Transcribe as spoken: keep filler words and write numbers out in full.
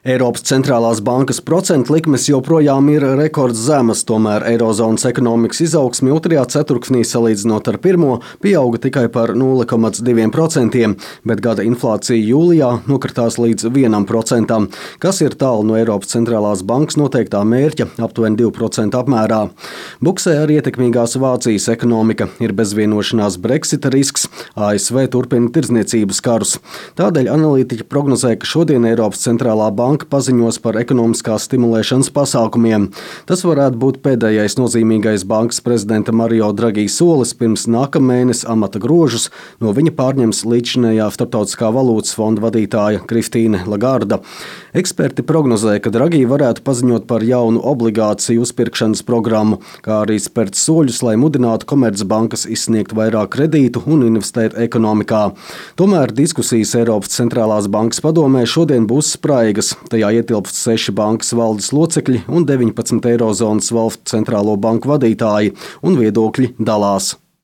Eiropas centrālās bankas procentu likmes joprojām ir rekordzemas, tomēr eirozonas ekonomikas izaugsme otrajā ceturksnī salīdzinot ar pirmo pieauga tikai par nulle komats diviem procentiem, bet gada inflācija jūlijā nokritās līdz vienam procentam, kas ir tālu no Eiropas centrālās bankas noteiktā mērķa aptuveni divu procentu apmērā. Buksē arī ietekmīgās Vācijas ekonomika, ir bezvienošanās Brexita risks, A S V turpina tirdzniecības karus. Tādēļ analītiķi prognozē, ka šodien Eiropas centrālā banka Banka paziņos par ekonomiskās stimulēšanas pasākumiem. Tas varētu būt pēdējais nozīmīgais bankas prezidenta Mario Draghi solis pirms nākamēnes amata grožus no viņa pārņems līdzinējā Starptautiskā valūtas fonda vadītāja Kristīne Lagarda. Eksperti prognozē, ka Draghi varētu paziņot par jaunu obligāciju uzpirkšanas programmu, kā arī spērt soļus, lai mudinātu komercbankas izsniegt vairāk kredītu un investēt ekonomikā. Tomēr diskusijas Eiropas centrālās bankas padomē šodien būs spraigas. Tajā ietilpst seši bankas valdes locekļi un deviņpadsmit eirozonas valstu centrālo banku vadītāji, un viedokļi dalās.